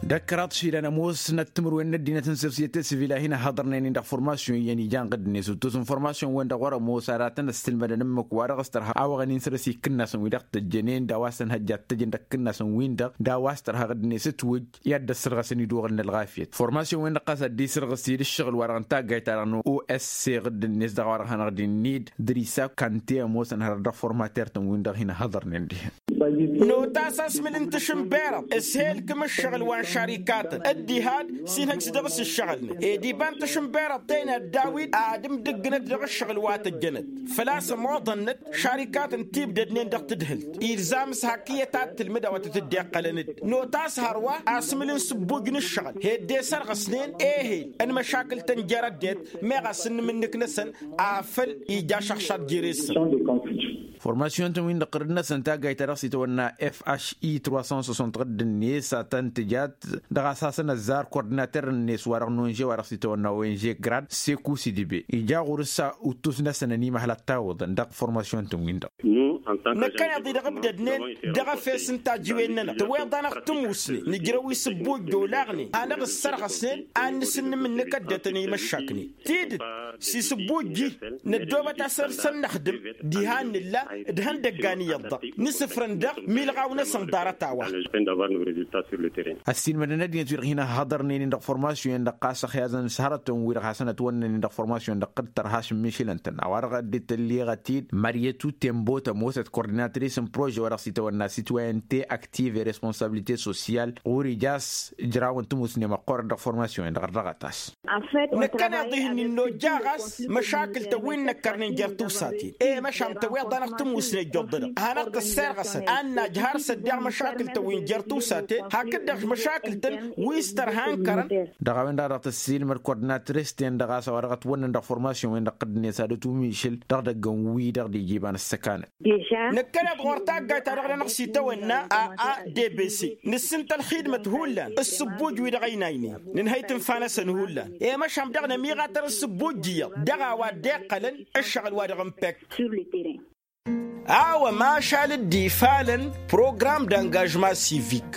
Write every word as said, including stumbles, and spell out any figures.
D-ăkkăraḍ išilan ămoosnăt timǝrwen n-ăddinăt n-sosiyete sivil a hin-ăhhăḍărnen-in dăɣ-formasyon iyyăn ija n-ɣǝdd-net uttus n-formasyon-wen-dăɣ wăr-ămoos aratăn ăssilmădăn ǝmmǝk wa dăɣ-s tărha a-wa ɣăn-in-săr-s ikǝnnasăn wi-dăɣ tăjjănen d-a-wa s-tăn-hăjja ad-tăjjăn dăɣ-ikǝnnasăn-win-dăɣ d-a-wa s-tărha ɣǝdd-net ǝtwǝjj i-ad-dd-ăssărɣăsăn iduɣǝl n-ălɣafyăt formasyon-wen-dăɣ ɣas ad-dd-isǝrɣǝs-dd ǝššăɣǝl-wa-dăɣ n-taggayt-ta-dăɣ n-oss ɣǝdd-net dăɣ-a-wa-dăɣ hanăɣ-dd-innid dăr-isa kante ămoosăn hărăt dăɣ-formater-tăn-win-dăɣ hin-ăhhăḍărnen dihen. Notas asmǝl n-tašǝnberăḍt s-he-ǝlkǝm ǝššăɣǝl wa n-šarikatăn dd-iha-dd s-inhăjj s-dăɣ-s ǝššăɣǝlnăt ed iba n-tašǝnberăḍt tăyna dd-a-wi ad-ǝmdǝggǝnăt dăɣ-ǝššăɣǝl wa tăjjănăt făl-a-s ămoḍănnăt šarikatăn tibdădnen dăɣ-tadhǝlt ilzam s-hak iyyăt ad-tǝlmǝd a-wa tăt-dd-iqqălăn-dd notas hărwa asmǝl n-sǝbbuj n-ǝššăɣǝl he-dd e-sărɣăsnen ehel n-măšakǝl-tăn jer-ăddinăt meɣ asǝnnǝm-nǝk-năsăn afăl ija ašăɣšad jere-săn. Formasyon-tăn-win-dăɣ ɣǝrǝd-năsăn taggayt-ta-dăɣ s-itawănna fhi trois cent soixante ɣǝdd-net a tăn-tǝjat dăɣ-a-s hasăn-ăzzar kordinater-net wa-dăɣ n-onže wa dăɣ-s itawănna onže grad seku sidibe ija ɣur-s uttus-năsăn ănimăhăl ad-tawǝḍăn dăɣ-formasyon-tăn-win-dăɣ. Năkkăneḍ-i-dăɣ ǝbdădnen dăɣ-efes n-tajiwen-nănăɣ tăweḍ-anăɣ tămusne nǝjrăw isǝbbuj d-olaɣnen hanăɣ-dd-sărɣăsnen ad-nǝsǝnnǝm-nǝk ăddinăt n-imăššaknen tidǝt s-isǝbbuj-i năddoobăt asăr s-ănnăxdǝm diha n-nǝlla d-ihăndăggan iyyăḍ-dăɣ nǝsǝfrăn dăɣ-milɣaw-năsăn ḍarăt-a-wa. Ăssiilmădăn ăddinăt wi-dăɣ hin-ăhhăḍărnen-in dăɣ-formasyon-en-dăɣ ɣas ăxyaẓăn s-hărătăn-wi-dăɣ hasăn-ătwănnăn-in dăɣ-formasyon-en-dăɣ dd-tărha šǝmmišǝlăn-tăn a-wa-dăɣ dd-tălleɣăt-dd măryăt u-tembo tămoosăt kordinatris n-prože wa dăɣ-s itawănna sitwayăn t-aktiv i-responsabilite sosyal ɣur-ija a-s ǝjrawăn tămusne măqqoorăt dăɣ-formasyon-en-dăɣ ărdăɣăt-as. Năkkăneḍ-ihin innojja ɣas măšakǝl-tăn wi n-năkkărnen jer-tiwsaten i-măšan tăweḍ-anăɣ tămusne ǝjjoḍ-dăɣ hanăɣ-tăsserɣăsăn ad-najj har s-ăddeɣ măšakǝl-tăn wi n-jer-tiwsaten hakd-dăɣ măšakǝl-tăn wi s-tărha n-kărăn. Dăɣ-a-wen-dăɣ dăɣ-tăssiilmăd kordinatrist-en-dăɣ a-s a-wa dăɣ-ătwănnăn dăɣ-formasyon-wen-dăɣ ɣǝddǝnet ad-ătummišǝl dăɣ-idăggăn wi-dăɣ d-ija iba n-ăssăkanăt. Năkkăneḍ ɣur-taggayt-ta-dăɣ-nănăɣ s-itawănna a a d b c nǝssǝnt ălxidmăt hullan ǝssǝbbuj-wi-dăɣ ăynaynen nǝnhăy tǝnfa-năsăn hullan i-măšan dăɣ-nămiɣatăr ǝssǝbbuj iyyăḍ dăɣ-a-wa dd-iqqălăn ǝššăɣǝl-wa-dăɣ n-pek. A-wa mašal dd-ifalăn program d-angažma sivik.